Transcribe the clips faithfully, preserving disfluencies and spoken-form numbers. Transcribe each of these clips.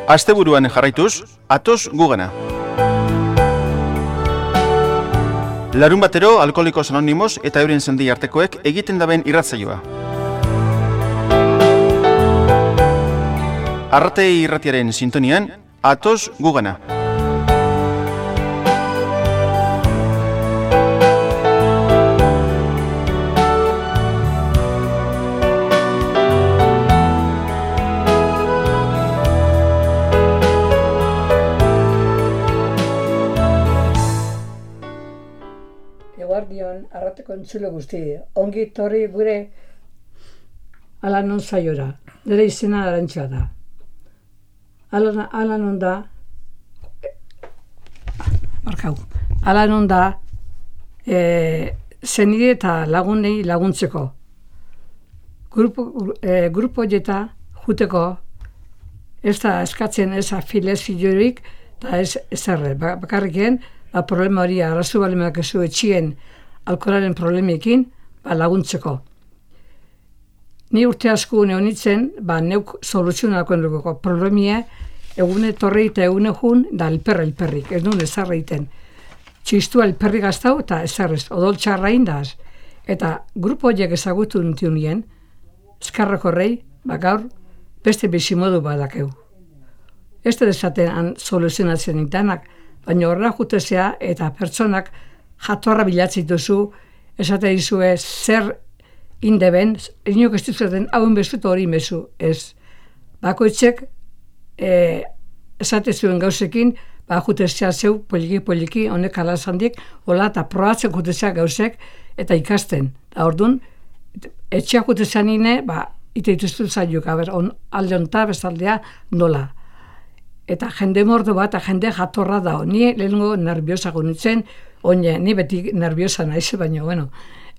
Asteburuan jarraituz, atoz gugana. Larun batero, Alkoholikos Anonimos eta euren sendi artekoek egiten daben irratzaioa. Arratei irratiaren sintonian, atoz gugana. Eguardion, arrateko entzule guzti, ongi torri gure Alanon saiora, nire izena Arantxa da. Alanon, Alanon da, markau, Alanon da, e, zenide eta lagunei laguntzeko. Grupo, e, grupo jeta juteko, ez da eskatzen ez afileziorik, eta ez ezerre, bakarrikien, ba, problema hori arrazu balimak ezu etxien alkoholaren problemekin ba, laguntzeko. Ni urte asko neonitzen, ba, neuk soluzionako enduko problemia egune torri eta egune jun da elperra elperrik, ez nuen ezarra iten. Txistua elperri gaztau eta ezarrez, odol txarrain daz. Eta grupo horiek ezagutu nintu nien, eskarrako rei, ba, gaur beste bizimodu badakeu. Ez da desaten soluzionatzen nintanak, baina horrela jutezea eta pertsonak jatorra bilatzen duzu, esate dizue zer indeben, inok ez duzuten hauen bezut hori mezu, ez. Bakoitzek e, esate zuen gauzekin, ba jutezea zeu poliki-poliki, honek alazandik, hola eta probatzen jutezea gauzek eta ikasten. Da orduan, etxeak jutezea nine, ba, ite dituztu zaiuk, aber, on, alde onta bezaldea nola. Eta jende mordo bat, eta jende jatorra da. Ni lehenengo nerviosago nintzen, oine, ni beti nerviosa naiz, baina, bueno.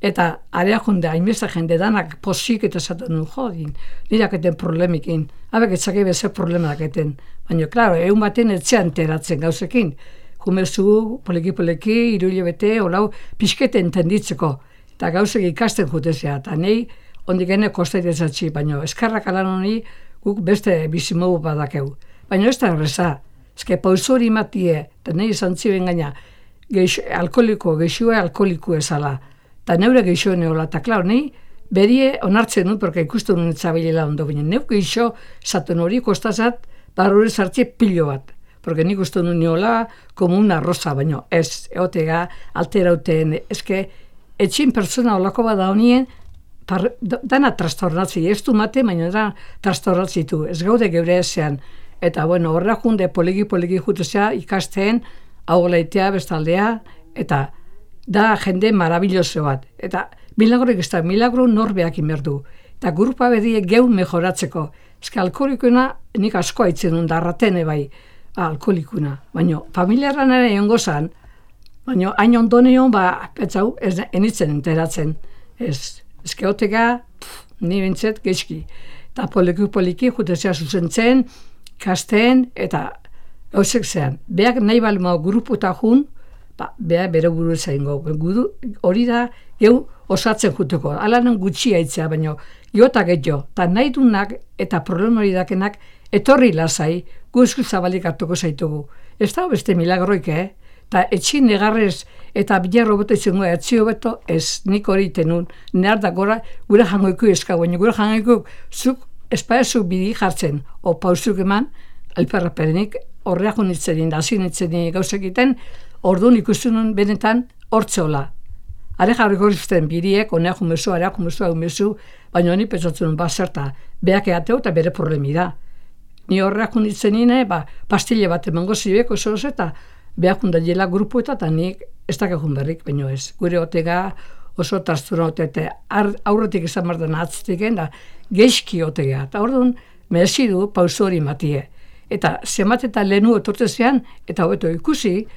Eta area junde, hainbesta jende danak posik eta esaten nuen, jodin, niraketen problemikin. Habek etzake beze problema daketen. Baina, klaro, egun baten etxean teratzen gauzekin. Jumezu, poliki-poliki, iruile bete, olau, pixkete entenditzeko. Eta gauzek ikasten jutezea. Eta nahi, ondik ene kostaitezatzi, baina eskarrak alan honi guk beste bizimogu badakeu. Baina ez da erreza, ezke pauso hori matie, eta nahi izan ziren gaina, geixo, alkoholiko, geixoa alkoholiko ezala, eta neure geixo neola, eta klar, nahi berie onartzen dut, porque ikusten nuen etzabilela ondo, baina neu geixo zaten hori kostazat, barrure zartzie pilo bat, porque nik uste nuen neola, como una rosa, baina ez, eotega, alterauten, ezke, etxin pertsona olako bada honien, par, dana trastornatzi, ez du mate, baina dana trastornatzi du, ez gaude geure ezean. Eta, bueno, horra junde poliki-poliki jutuzea ikasten, hau laitea, bestaldea, eta da jende marabilloso bat. Eta milagroik ez da, milagro norbeak inberdu. Eta grupa bedie geu mejoratzeko. Ez que alkoholikuna nik asko haitzen duen, darratene bai, alkoholikuna. Baina, familiaran ere egon gozan, baina hain ondoneon, ba, petzau, ez enitzen enteratzen. Ez, ez keoteka, ni bintzet, geizki. Eta poliki-poliki jutuzea zuzentzen, kasten eta gauzek zean. Beak nahi balma grupu eta jun, ba, beha bere buru zaingo. Hori da, geu osatzen juteko. Alanen gutxi haitzea, baina jota getxo. Ta nahi dunak eta problema hori dakenak etorri lasai, guzku zabalik hartuko zaitugu. Ez da beste milagroik, eh? Ta etxin negarrez eta bilarro bote izango etzio beto, ez nik hori tenun. Nehar da gora, gure jangoiku eska, baina gure jangoiku zuk espaezu bidi jartzen, o pausuk eman, alperraperenik, horreak unitzen da, hasi unitzen gauzak egiten, orduan ikusten nuen benetan hortzeola. Are jarriko izten biriek, honeak umezu, areak umezu, umezu, baina honi pentsatzen nuen, ba, zerta, beak egateu eta bere problemi da. Ni horreak unitzen nine, ba, pastille bat emango zibek, oso oso, eta beak undaiela grupu eta, eta nik ez dakekun berrik, baina ez. Gure otega, oso trastura ote, aurretik izan mardan atzitik da, geizki otegea. Eta orduan, merezi du pauso hori matie. Eta zemat eta lehenu etortzean, eta hobeto ikusi,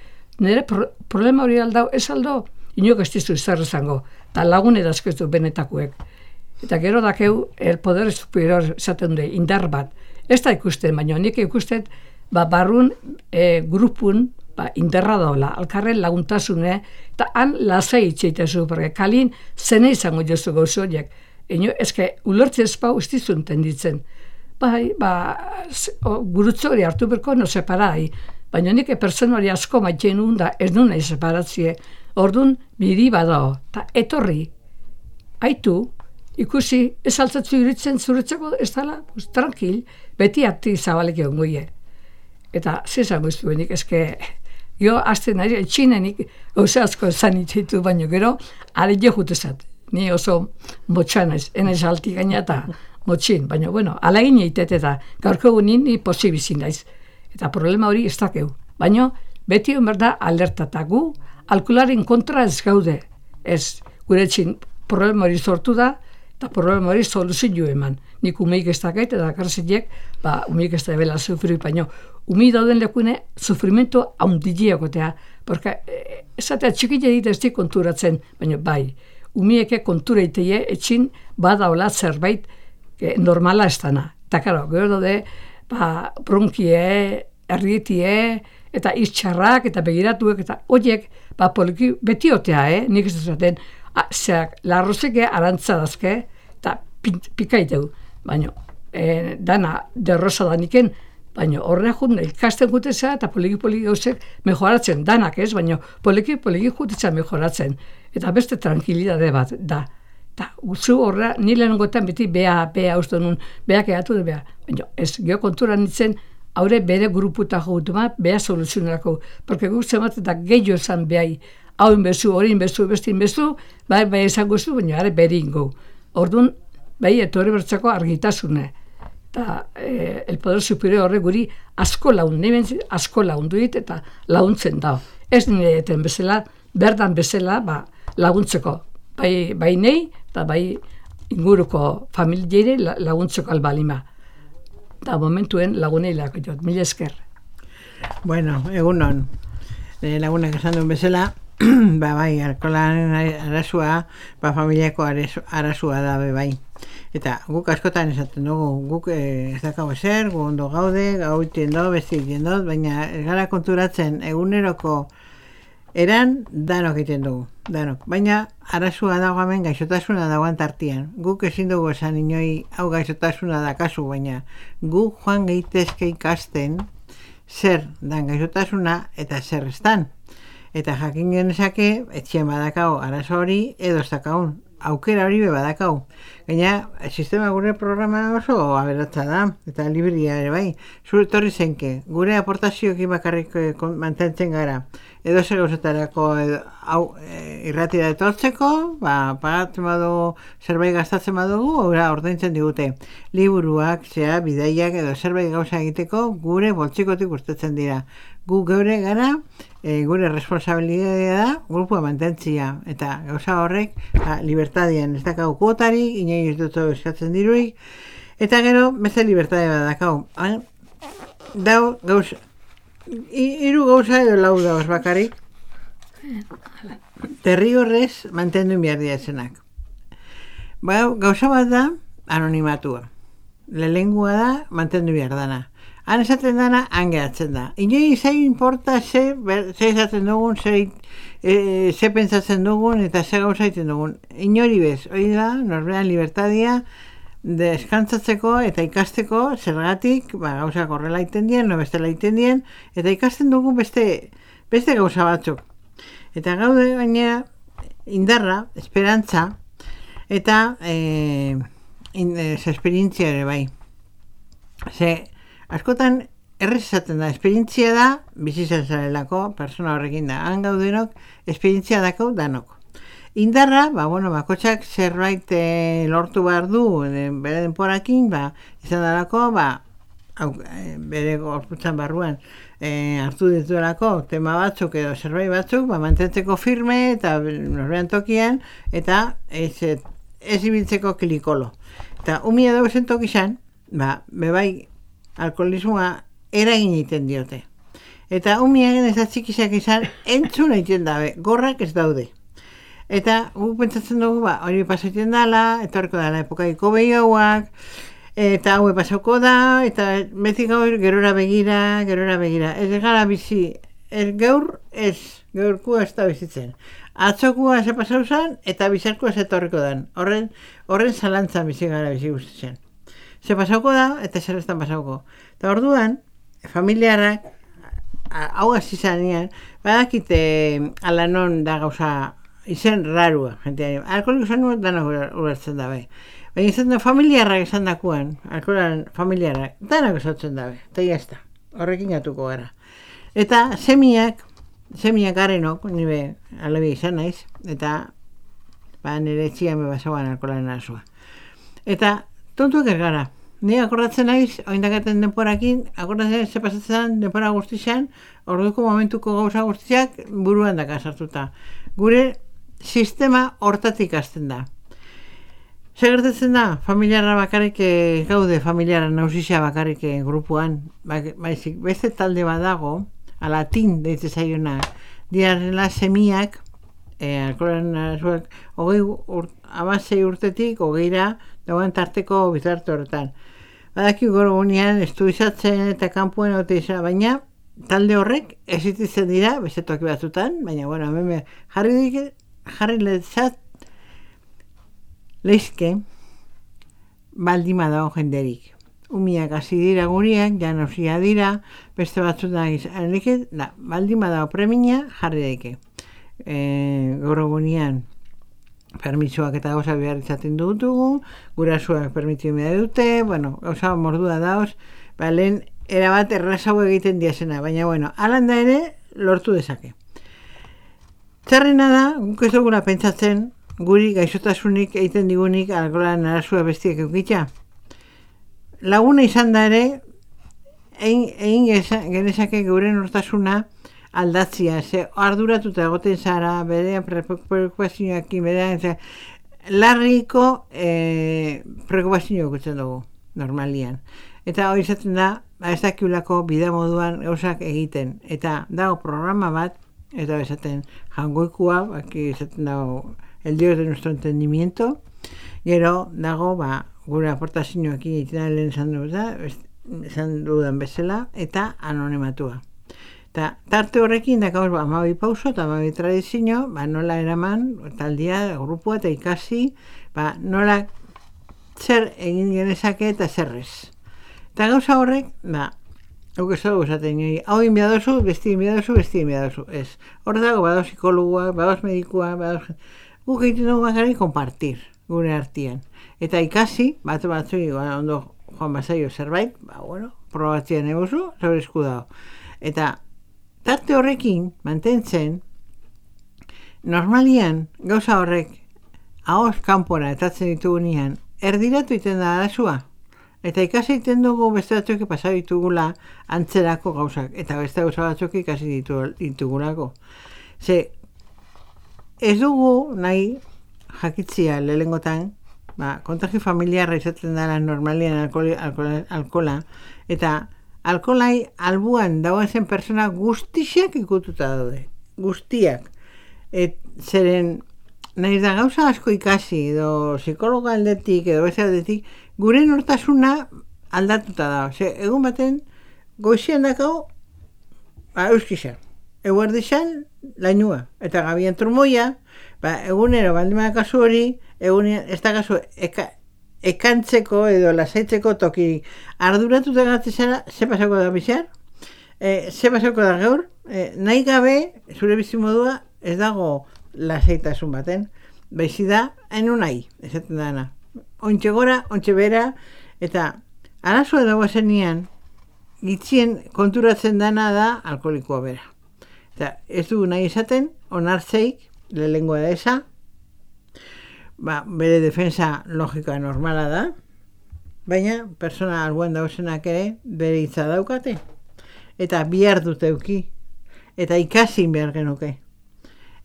nire pro, problema hori aldau, ez aldo, inok ez dizu zer izango, eta lagun edazkeztu benetakuek. Eta gero dakeu, el poder superior esaten du, indar bat. Ez da ikusten, baina nik ikusten, ba, barrun e, grupun, ba, inderra daula, alkarren laguntasune, eta han lasai itxeitezu, porque kalin zene izango jozu gauzo horiek. Eno, ezke, ulertze ezpau ez dizun tenditzen. bai, ba, gurutze hori hartu berko no separai, baina nik pertsona hori asko maitzen nun da ez nun nahi separatzie. Orduan, biri badao, eta etorri, haitu, ikusi, ez altzatzu iritzen zuretzeko, ez dala, pues, tranquil, beti ati zabalek egon goie. Eta, zizan guztuenik, ezke, jo, azten ari, etxinenik, gauza asko esan itzitu, baino gero, are jo jutezat. Ni oso motxan ez, enez alti gaina eta motxin, baina, bueno, alagin eitet eta gaurko egunin ni posibizin daiz. Eta problema hori ez dakeu. Baina, beti hon berda alertatagu, alkoholaren kontra ez gaude. Ez, gure etxin problema hori sortu da, eta problema hori soluzio eman. Nik umeik ez dakait, eta karzilek, ba, umeik ez da ebela sufri, baina, umi dauden lekune sufrimento haundileakotea, porque esatea txikile dit ez di konturatzen, baina bai, umieke kontura iteie etxin badaola zerbait eh, normala ez dana. Eta karo, gero daude, ba, bronkie, errietie, eta iztxarrak, eta begiratuek, eta horiek, ba, poliki beti otea, eh? Nik ez duzaten, zeak, larrozeke arantza dazke, eta pikaiteu. Baina, eh, dana derrosa daniken, baina horre jut, ikasten juteza, eta poliki-poliki gauzek mejoratzen, danak ez, baina poliki-poliki juteza mejoratzen. Eta beste tranquilidade bat, da. Eta zu horra, nire nengoetan beti beha, beha uste nun, beha kehatu da beha. Baina ez, geho kontura nintzen, haure bere gruputa jogutu ma, beha soluzionerako. Porque guk zemat eta gehiago esan behai, hau inbezu, hori inbezu, beste inbezu, bai, bai esango zu, baina are bere ingo. Orduan, bai, etorri bertzako argitasune. Eta eh, el poder superior horre guri asko laun, neben asko laundu dit eta launtzen da. Ez nire eten bezala, berdan bezala, ba, laguntzeko. Bai, bai nei, eta bai inguruko familieire laguntzeko albalima. Eta momentuen lagunei lako jot, mila esker. Bueno, egunon, e, lagunak esan duen bezala, ba bai, alkoholaren arazua, ba familiako arazua da be bai. Eta guk askotan esaten dugu, guk eh, ez dakau ezer, gu ondo gaude, gau itiendo, besti itiendo, baina ez gara konturatzen eguneroko eran danok egiten dugu, danok. Baina arazua dago hemen gaixotasuna dagoan tartian. Guk ezin dugu esan inoi hau gaixotasuna da kasu, baina guk joan gehitezke ikasten zer dan gaixotasuna eta zer estan. Eta jakin genezake, etxien badakau arazo hori edo ez dakaun. Aukera hori be badakau. Gaina, sistema gure programa oso aberatza da, eta libria ere bai. Zure torri zenke, gure aportazioekin bakarrik mantentzen gara. Edo zer gauzetarako hau e, irratira etortzeko, ba, pagatzen badugu, zerbait gastatzen badugu, ora ordaintzen digute. Liburuak, zea, bidaiak edo zerbait gauza egiteko gure boltsikotik urtetzen dira. Gu geure gara, e, gure responsabilidadea da, grupua mantentzia, eta gauza horrek, ba, libertadian ez dakau kuotari, inai ez dut eskatzen diruik, eta gero, beste libertadea badakau. Dau, gauza, hiru gauza edo lau dauz bakarrik, derrigorrez mantendu behar diatzenak. Ba, gauza bat da, anonimatua. Lelengua da, mantendu behar dana. Han esaten dana, han gehatzen da. Inoi zei importa ze, ze esaten dugun, ze, e, ze pentsatzen dugun eta ze gauza egiten dugun. Inori bez, hori da, norberan libertadia, deskantzatzeko eta ikasteko zergatik, ba, gauzak horrela egiten dien, no bestela egiten dien, eta ikasten dugu beste, beste gauza batzuk. Eta gaude baina indarra, esperantza, eta e, in, e, esperientzia ere bai. Ze, askotan errez esaten da, esperientzia da, bizitzen zarelako, persona horrekin da. Han gaudenok, esperientzia dako danok. Indarra, ba, bueno, bakotxak zerbait e, lortu behar du, e, bere denporakin, ba, izan darako, ba, au, e, bere gorputzan barruan, e, hartu dituelako tema batzuk edo zerbait batzuk, ba, mantentzeko firme eta norbean tokian, eta ez, ez ibiltzeko kilikolo. Eta umia dago zen tokizan, ba, bebai, alkoholismoa eragin egiten diote. Eta umiagen ez da txikizak izan entzun egiten dabe, gorrak ez daude. Eta guk pentsatzen dugu, ba, hori pasatzen dala, eta horreko dala epokaiko behioak, eta haue pasauko da, eta beti gaur gerora begira, gerora begira. Ez gara bizi, ez gaur ez, gaurkua ez da bizitzen. Atzokua ze pasau zen, eta bizarkua ez etorriko dan. Horren, horren zalantzan bizi gara bizi guztitzen. ze pasauko da, eta zer ez da pasauko. Eta orduan, familiarrak, hau hasi zanean, badakite alanon da gauza, izen rarua, jenteari. Alkoholiko zanuak danak ulertzen dabe. Baina izan da familiarrak esan dakuan, alkoholan familiarrak, danak esatzen dabe. Eta jazta, horrekin gatuko gara. Eta semiak, semiak garenok, nire alebi izan naiz, eta ba, nire etxia me basauan alkoholan arazua. Eta tontuak ergara. Ni akordatzen naiz, oindakaten denporakin, akordatzen naiz, zepasatzen denpora guztizan, orduko momentuko gauza guztiak buruan daka sartuta. Gure sistema hortatik hasten da. Segertatzen da, familiarra bakarrik gaude, familiarra nausizia bakarrik grupuan, baizik, beste talde badago, alatin deitze zaiona, diarrela semiak, e, alkoholan arazuak, hogei urt, abasei urtetik, hogeira, dagoen tarteko bizarte horretan. Badaki goro gunean, estudizatzen eta kanpuen ote izan, baina talde horrek existitzen dira, beste toki batzutan, baina, bueno, hemen jarri dik, jarri lezat, leizke, baldima dago jenderik. Umiak hasi dira guriak, janosia dira, beste batzutan izan, da, baldima dago premia, jarri daike. E, goro gunean, permitsuak eta gauza behar izaten dutugu, gurasuak permitiu mea dute, bueno, gauza mordua dauz, ba, lehen erabat errazau egiten diazena, baina, bueno, alan da ere, lortu dezake. Txarrena da, guk ez dugula pentsatzen, guri gaixotasunik egiten digunik alkoholan arazua bestiak eukitza. Laguna izan da ere, egin, egin genezake gure nortasuna aldatzia, ze arduratuta egoten zara, berean preokupazioakin, berean, larriko e, preokupazioa ikutzen dugu, normalian. Eta hori izaten da, ez dakiulako bida moduan gauzak egiten. Eta dago programa bat, eta esaten jangoikua, aquí izaten dago el dios de nuestro entendimiento, gero dago, ba, gure aportazioakin egiten lehen esan dugu, esan dudan bezala, eta anonimatua. Eta tarte horrekin dakauz ba, amabi pauso eta amabi tradizio, ba, nola eraman, taldia, grupua eta ikasi, ba, nola zer egin genezake eta zerrez. Eta gauza horrek, ba, hau ez dugu esaten, hau inbiadozu, besti inbiadozu, besti inbiadozu, ez. Hor dago, badauz psikologuak, badauz medikua, badauz... Guk egiten dugu bakarrik kompartir, gure artean. Eta ikasi, bat batzu, ba, ondo joan bazaio zerbait, ba, bueno, probatzean eguzu, zaur esku dago. Eta tarte horrekin, mantentzen, normalian, gauza horrek, ahoz kanpora etatzen ditugunean, erdiratu iten da arazua. Eta ikasi iten dugu beste batzuk pasau ditugula antzerako gauzak. Eta beste gauza batzuk ikasi ditu, ditugulako. Ze, ez dugu nahi jakitzia lehengotan, ba, kontagio familiarra izaten dara normalian alkola, alkola, alkola eta alkolai albuan dagoen zen persona guztiak ikututa daude. Guztiak. Et, zeren, nahi da gauza asko ikasi, edo psikologa aldetik, edo beste aldetik, gure nortasuna aldatuta da. Ose, egun baten, goizian dakau, ba, euskizan. Eguerdizan, lainua. Eta gabian trumoia, ba, egunero, baldima kasu hori, egunean, ez da kasu, eka, ekantzeko edo lasaitzeko toki arduratuta gatzezara, ze pasako da bizar, e, ze pasako da gaur, e, nahi gabe, zure bizimodua, ez dago lasaitasun baten, baizi da, enu nahi, esaten dana. Ontxe gora, ontxe bera, eta arazoa dago zenian, gitzien konturatzen dana da alkoholikoa bera. Eta ez dugu nahi esaten, onartzeik, lehengoa da esa, ba, bere defensa logika normala da, baina persona albuan dauzenak ere bere hitza daukate. Eta bihar dute euki, eta ikasi behar genuke.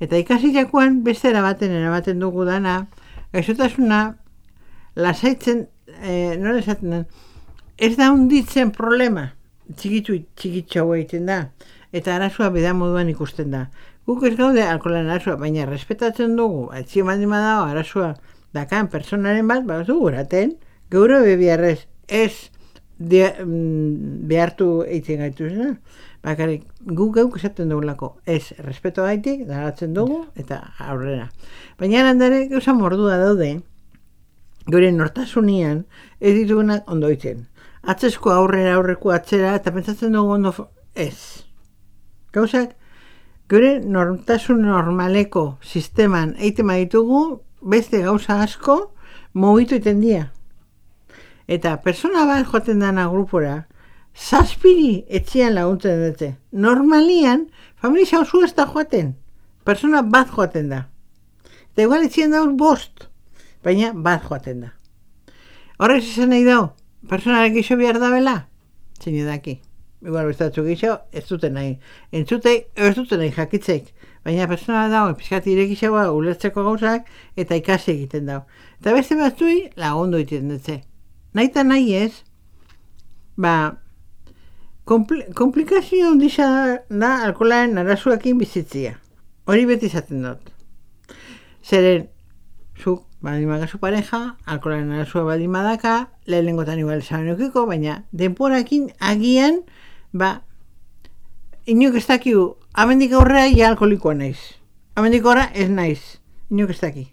Eta ikasi jakoan beste erabaten erabaten dugu dana, gaixotasuna lasaitzen, e, nola esaten den, ez da hunditzen problema, txikitu txikitxau egiten da, eta arazoa beda moduan ikusten da. Guk ez gaude alkoholan arazoa, baina respetatzen dugu, etxio mandima dago arazoa dakan personaren bat, bat dugu eraten, geure bebiarrez ez de, mm, behartu egiten gaitu zena. Bakarrik guk geuk esaten dugulako, ez respeto gaitik, daratzen dugu, eta aurrera. Baina landare gauza mordua daude, gure nortasunian ez ditugunak ondo egiten. Atzesko aurrera aurreko atzera eta pentsatzen dugu ondo ez. Gauzak, gure nortasun normaleko sisteman egiten ditugu beste gauza asko mugitu egiten dira. Eta persona bat joaten dana grupora, zazpiri etxean laguntzen dute. Normalian, familia oso ez da joaten. Persona bat joaten da. Eta igual etxean dauz bost, baina bat joaten da. Horrek izan nahi dau, personarek iso behar da bela? Zein edaki. Igual bestatzu gixo, ez duten nahi. Entzutei, ez duten nahi jakitzeik. Baina persona dago, pizkat irekixagoa ulertzeko gauzak, eta ikasi egiten dago. Eta beste batzui lagundu egiten dutze. Nahi eta nahi ez, ba, kompl komplikazio ondisa da alkoholaren arazuakin bizitzia. Hori beti izaten dut. Zeren, zuk, baldin magazu pareja, alkoholaren arazua baldin badaka, lehenengotan igual esan eukiko, baina denporakin agian, ba, inok ez dakiu, amendik aurrera ja alkoholikoa naiz. Amendik aurrera ez naiz, inok ez daki.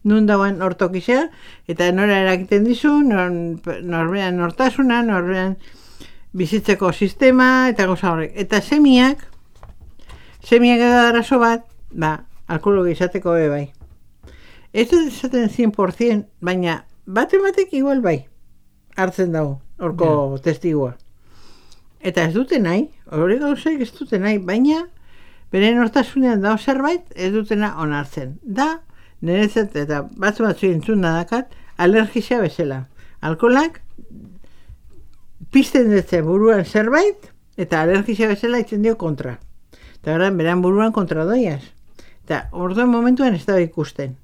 Nun dagoen hortokizea, eta nora erakiten dizu, nor, norbean nortasuna, norbean bizitzeko sistema, eta goza horrek. Eta semiak, semiak edo arazo bat, ba, alkohologi izateko be bai. Ez dut esaten cien por ciento, baina bate batek igual bai, hartzen dago, horko yeah. testigua. Eta ez dute nahi, hori gauzek ez dute nahi, baina bere nortasunean dago zerbait, ez dutena onartzen. Da, niretzat eta batzu batzu entzun dakat, alergizia bezala. Alkoholak pizten dutze buruan zerbait, eta alergizia bezala itzen dio kontra. Eta beran, beran buruan kontra doiaz. Eta orduan momentuan ez da ikusten.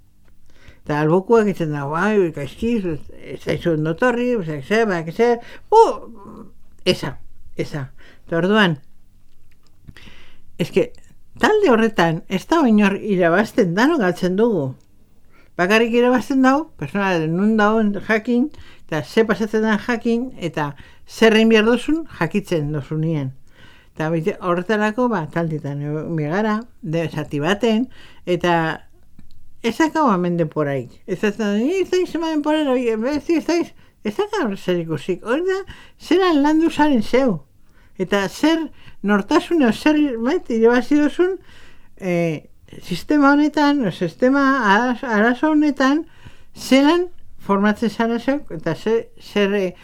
Eta albokuak itzen da, bai, gaizkiz, ez zaizu ondotorri, ez zaizu, bak ezer, uh, esa, esa. Eta orduan, eske, talde horretan, ez da oinor irabazten dano galtzen dugu. Bakarrik irabazten dago, persona nun dagoen jakin, eta ze pasatzen den jakin, eta zerrein behar duzun, jakitzen duzunien. Eta horretarako, ba, taldetan megara, zati baten, eta ezakau hemen denporaik. Ez da, ez da izan denporara, ez da, ez da zer ikusik. Hori da, zeran landu zaren zeu. Eta zer nortasune, zer bait, irabazi duzun, eh, sistema honetan, sistema arazo honetan, zeran formatzen zara zeuk, eta zer, zer,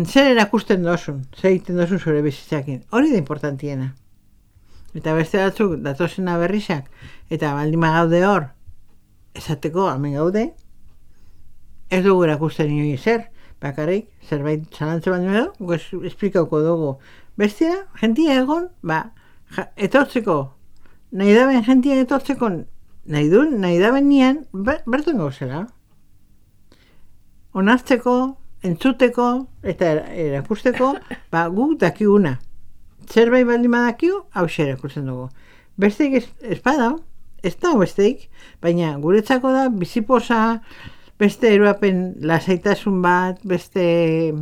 zer erakusten dozun, zer egiten dozun zure bizitzakin. Hori da importantiena. Eta beste batzuk, datozena berrizak, eta baldima gaude hor, esateko, hemen gaude, ez dugu erakusten inoiz zer, bakarrik, zerbait zalantze baino edo, esplikauko dugu. Bestia, jentia egon, ba, ja, etortzeko, nahi daben jentia etortzeko, nahi duen, nahi daben nian, bertuen gauzela. Onartzeko, entzuteko, eta erakusteko, ba, guk dakiguna. Zerbait baldin badakigu, hau erakusten dugu. Besteik ez bada, ez da besteik, baina guretzako da biziposa, beste eruapen lasaitasun bat, beste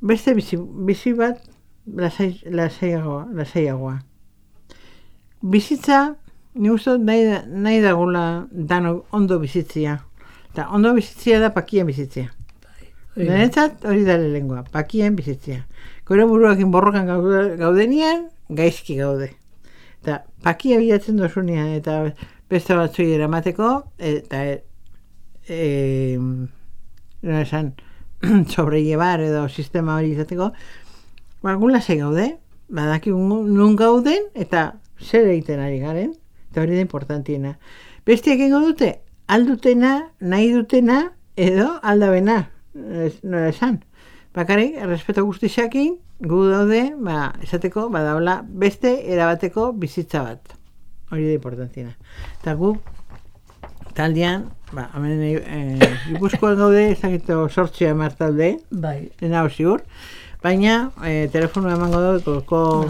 beste bizi, bizi bat lasai, lasaiagoa, lasaiagoa. Bizitza, ni uste nahi, nahi dagula dano ondo bizitzia. Eta ondo bizitzia da pakien bizitzia. Niretzat hori da lehengoa, pakien bizitzia. Gure buruakin borrokan gaudenian, gaizki gaude. Eta pakia bilatzen dozunean, eta beste batzui eramateko, eta e, no esan, sobrellevar edo sistema hori izateko, bagun lasai gaude, badaki nun gauden, eta zer egiten ari garen, eta hori da importantiena. Bestiak egingo dute, aldutena, nahi dutena, edo aldabena, no esan. Bakarrik, errespeto guztixakin, gu daude, ba, esateko, badaula, beste erabateko bizitza bat. Hori da importantiena. Eta gu, taldean, ba, hemen e, Gipuzkoan gaude, ezakito sortxia emar talde, bai. Dena ziur, baina e, telefonua emango dut,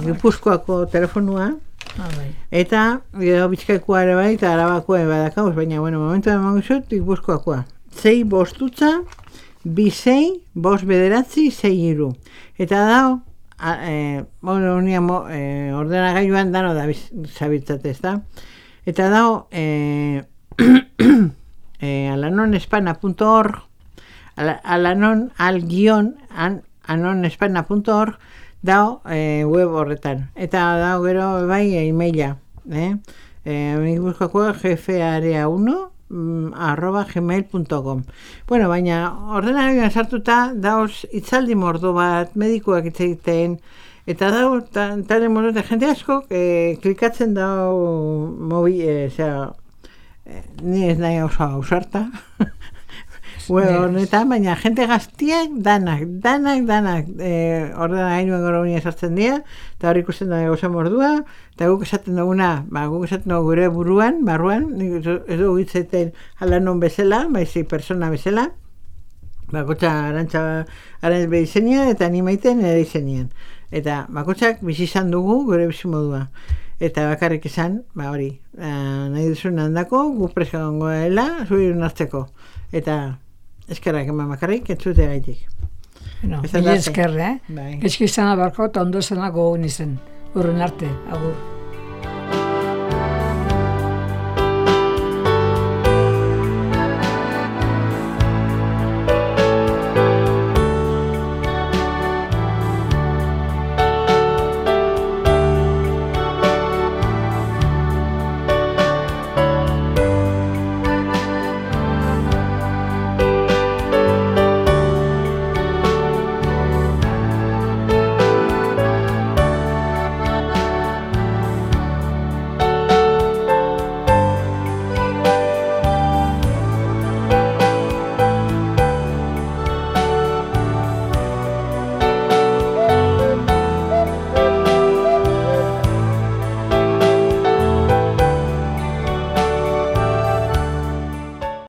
Gipuzkoako telefonua, ah, bai. Eta gero Bizkaikoa ere bai, eta Arabakoa badakauz, baina, bueno, momentu emango zut, Gipuzkoakoa. Zei bostutza, bi sei, bost bederatzi, sei iru. Eta dao, e, bueno, unia mo, e, ordenagailuan dano da zabiltzate, ez da? Eta dao, e, e, ala anonespana punto org, alanon al-gion an, anonespana punto org, dao e, web horretan. Eta dao gero bai e-maila. Eh? Eh, Gipuzkoako jefearea uno arroba gmail punto com. Bueno, baina ordenagailuan sartuta dauz itzaldi mordo bat, medikuak hitz egiten, eta dau tale mordo eta jende asko eh, klikatzen dau mobi, eh, osea, eh, ni ez nahi oso ausarta. Bueno, honetan, baina jente gaztiak danak, danak, danak eh, ordenagailuan gora unia sartzen dira, eta hor ikusten da gauza mordua, eta guk esaten duguna, ba, guk esaten dugu gure buruan, barruan, ez dugu hitzeten alanon bezala, baizik persona bezala, bakotxa arantxa arantz behi izenian, eta ni maiten ere izenian. Eta bakotxak bizi izan dugu gure bizi modua. Eta bakarrik izan, ba hori, eh, nahi duzun handako, guk preska gongo dela, zuri hartzeko. Eta eskerrak eman bakarrik, entzute gaitik. Bueno, mila esker, eh? Bai. Gezki izan abarko, eta ondo zena gogun izen. Urren arte, agur.